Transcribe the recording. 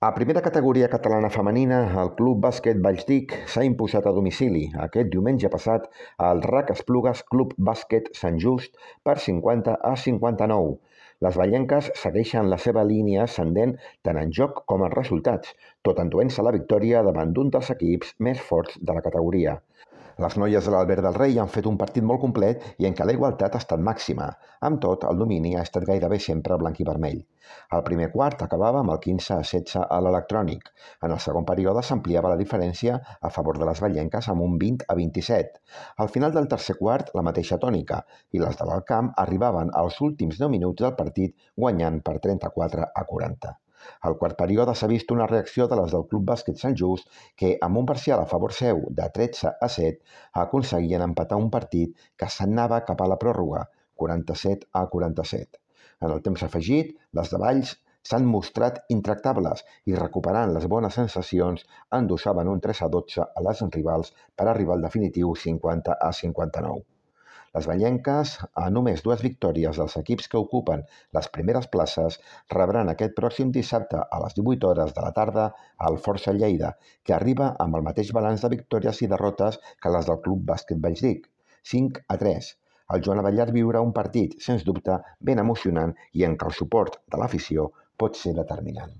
A primera categoria catalana femenina, el Club Bàsquet Valldic s'ha imposat a domicili aquest diumenge passat al RAC Esplugues Club Bàsquet Sant Just per 50-59. Les vallenques segueixen la seva línia ascendent tant en joc com en resultats, tot enduent-se la victòria davant d'un dels equips més forts de la categoria. Les noies de l'Albert del Rei han fet un partit molt complet i en què la igualtat ha estat màxima. Amb tot, el domini ha estat gairebé sempre blanc i vermell. El primer quart acabava amb el 15-16 a l'electrònic. En el segon període s'ampliava la diferència a favor de les vallenques amb un 20-27. Al final del tercer quart, la mateixa tònica, i les de l'Alt Camp arribaven als últims 10 minuts del partit guanyant per 34-40. Al quart període s'ha vist una reacció de les del Club Bàsquet Sant Just que, amb un parcial a favor seu de 13-7, aconseguien empatar un partit que s'anava cap a la pròrroga, 47-47. En el temps afegit, les de Valls s'han mostrat intractables i, recuperant les bones sensacions, endossaven un 3-12 a les rivals per arribar al definitiu 50-59. Les vallenques, a només 2 victòries dels equips que ocupen les primeres places, rebran aquest pròxim dissabte a les 18 hores de la tarda al Força Lleida, que arriba amb el mateix balanç de victòries i derrotes que les del Club Bàsquet Valldic, 5-3. El Joan Abellar viurà un partit, sens dubte, ben emocionant i en què el suport de l'afició pot ser determinant.